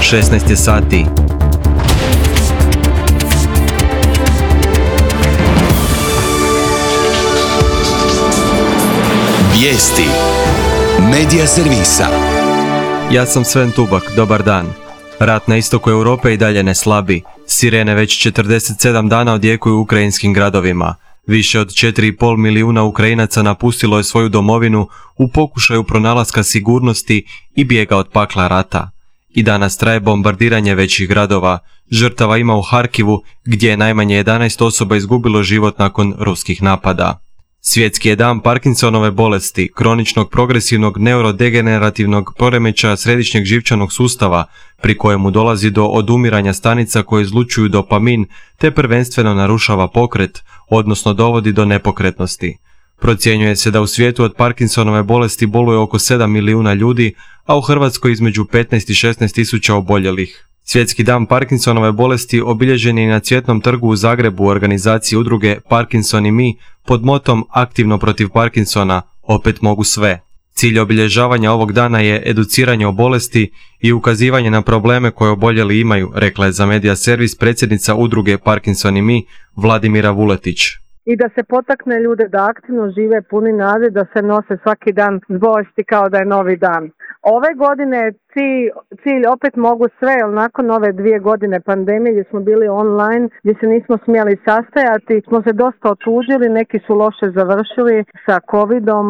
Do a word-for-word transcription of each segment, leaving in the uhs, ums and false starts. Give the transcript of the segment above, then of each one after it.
šesnaest je sati. Vijesti Medija servisa. Ja sam Sven Tubak, dobar dan. Rat na istoku Europe i dalje ne slabi. Sirene već četrdeset sedam dana odjekuju u ukrajinskim gradovima. Više od četiri i pol milijuna Ukrajinaca napustilo je svoju domovinu u pokušaju pronalaska sigurnosti i bijega od pakla rata. I danas traje bombardiranje većih gradova. Žrtava ima u Harkivu, gdje je najmanje jedanaest osoba izgubilo život nakon ruskih napada. Svjetski je dan Parkinsonove bolesti, kroničnog progresivnog neurodegenerativnog poremećaja središnjeg živčanog sustava, pri kojemu dolazi do odumiranja stanica koje izlučuju dopamin, te prvenstveno narušava pokret, odnosno dovodi do nepokretnosti. Procjenjuje se da u svijetu od Parkinsonove bolesti boluje oko sedam milijuna ljudi, a u Hrvatskoj između petnaest i šesnaest tisuća oboljelih. Svjetski dan Parkinsonove bolesti obilježen je na Cvjetnom trgu u Zagrebu u organizaciji udruge Parkinson i mi pod motom Aktivno protiv Parkinsona, opet mogu sve. Cilj obilježavanja ovog dana je educiranje o bolesti i ukazivanje na probleme koje oboljeli imaju, rekla je za Medija servis predsjednica udruge Parkinson i mi Vladimira Vuletić. I da se potakne ljude da aktivno žive puni nade, da se nose svaki dan s bolesti kao da je novi dan. Ove godine cilj, cilj opet mogu sve, jer nakon ove dvije godine pandemije gdje smo bili online, gdje se nismo smjeli sastajati, smo se dosta otuđili, neki su loše završili sa covidom,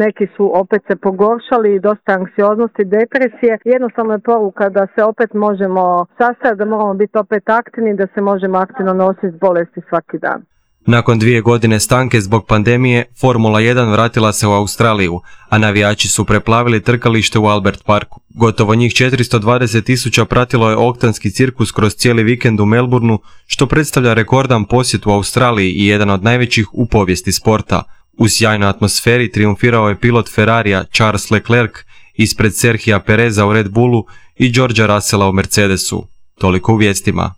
neki su opet se pogoršali, dosta anksioznosti, depresije. Jednostavno je poruka da se opet možemo sastajati, da moramo biti opet aktivni, da se možemo aktivno nositi s bolesti svaki dan. Nakon dvije godine stanke zbog pandemije, Formula jedan vratila se u Australiju, a navijači su preplavili trkalište u Albert Parku. Gotovo njih četiristo dvadeset tisuća pratilo je oktanski cirkus kroz cijeli vikend u Melbourneu, što predstavlja rekordan posjet u Australiji i jedan od najvećih u povijesti sporta. U sjajnoj atmosferi triumfirao je pilot Ferrarija Charles Leclerc ispred Serhija Pereza u Red Bullu i Georgea Russella u Mercedesu. Toliko u vijestima.